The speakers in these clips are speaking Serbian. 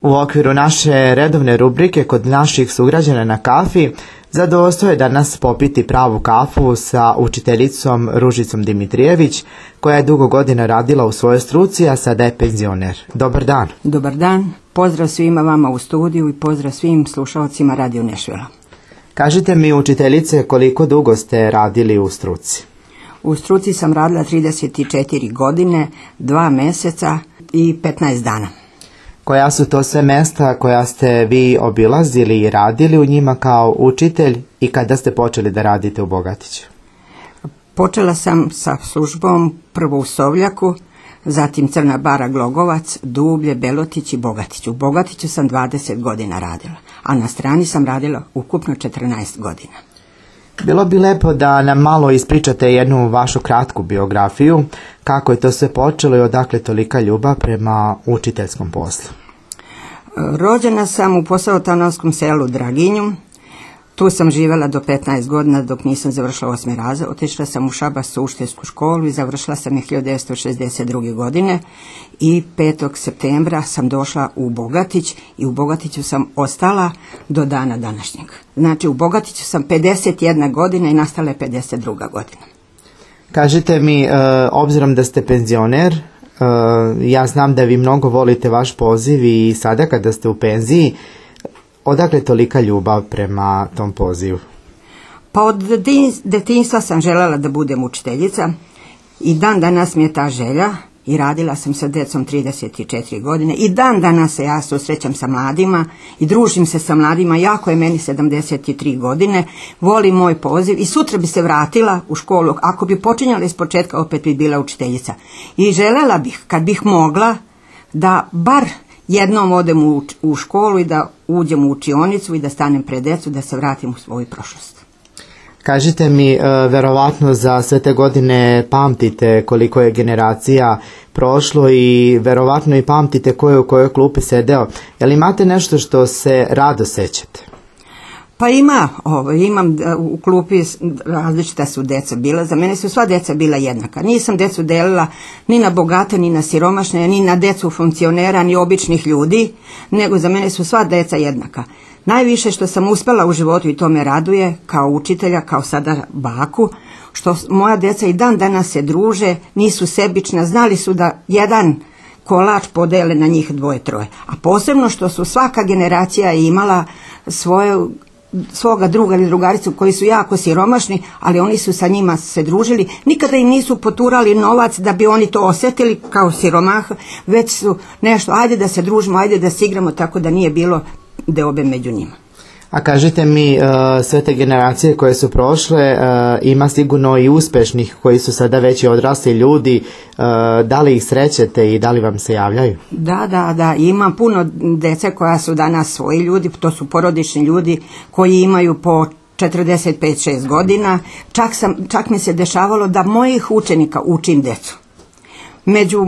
U okviru naše redovne rubrike kod naših sugrađana na kafi, zadovoljstvo je danas popiti pravu kafu sa učiteljicom Ružicom Dimitrijević, koja je dugo godina radila u svojoj struci, a sada je penzioner. Dobar dan. Dobar dan. Pozdrav svima vama u studiju i pozdrav svim slušalcima Radio Nešvila. Kažite mi, učiteljice, koliko dugo ste radili u struci? U struci sam radila 34 godine, 2 meseca i 15 dana. Koja su to sve mesta koja ste vi obilazili i radili u njima kao učitelj i kada ste počeli da radite u Bogatiću? Počela sam sa službom prvo u Sovljaku, zatim Crna Bara, Glogovac, Dublje, Belotić i Bogatić. U Bogatiću sam 20 godina radila, a na strani sam radila ukupno 14 godina. Bilo bi lepo da nam malo ispričate jednu vašu kratku biografiju, kako je to sve počelo i odakle tolika ljubav prema učiteljskom poslu. Rođena sam u Posavotanovskom selu Draginju. Tu sam živjela do 15 godina dok nisam završila 8. razred. Otišla sam u Šabac u učiteljsku školu i završila sam je 1962. godine i 5. septembra sam došla u Bogatić i u Bogatiću sam ostala do dana današnjeg. Znači u Bogatiću sam 51 godina i nastala je 52. godina. Kažite mi, obzirom da ste penzioner, ja znam da vi mnogo volite vaš poziv i sada kada ste u penziji, odakle tolika ljubav prema tom pozivu? Pa od detinjstva sam željela da budem učiteljica i dan danas mi je ta želja i radila sam sa djecom 34 godine i dan danas se ja susrećam sa mladima i družim se sa mladima, jako je meni 73 godine, volim moj poziv i sutra bi se vratila u školu, ako bi počinjala iz početka opet bi bila učiteljica i željela bih kad bih mogla da bar jednom odem u školu i da uđem u učionicu i da stanem pred djecu, da se vratim u svoju prošlost. Kažite mi, verovatno za sve te godine pamtite koliko je generacija prošlo i verovatno i pamtite ko je u kojoj klupi sedeo. Jel imate nešto što se rado sećate? Pa imam u klupi, različita su deca bila, za mene su sva deca bila jednaka. Nisam decu delila ni na bogate, ni na siromašne, ni na decu funkcionera, ni običnih ljudi, nego za mene su sva deca jednaka. Najviše što sam uspjela u životu i to me raduje, kao učitelja, kao sada baku, što moja deca i dan danas se druže, nisu sebična, znali su da jedan kolač podele na njih 2-3. A posebno što su svaka generacija imala svoga druga ili drugaricu koji su jako siromašni, ali oni su sa njima se družili. Nikada im nisu poturali novac da bi oni to osjetili kao siromah, već su nešto, ajde da se družimo, ajde da se igramo, tako da nije bilo deobe među njima. A kažite mi, sve te generacije koje su prošle, ima sigurno i uspešnih koji su sada već i odrasli ljudi, da li ih srećete i da li vam se javljaju? Da, ima puno dece koja su danas svoji ljudi, to su porodični ljudi koji imaju po 45-6 godina, čak mi se dešavalo da mojih učenika učim decu. Među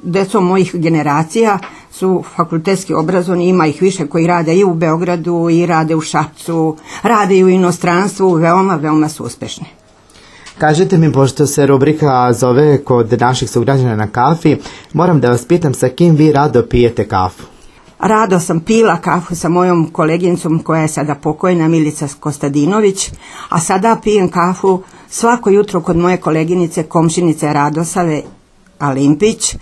decom mojih generacija su fakultetski obrazovani, ima ih više koji rade i u Beogradu i rade u Šapcu, rade i u inostranstvu, veoma su uspešni. Kažite mi, pošto se rubrika zove kod naših sugrađana na kafi, moram da vas pitam sa kim vi rado pijete kafu? Rado sam pila kafu sa mojom koleginicom koja je sada pokojna, Milica Kostadinović, a sada pijem kafu svako jutro kod moje koleginice, komšinice Radosave Alimpić,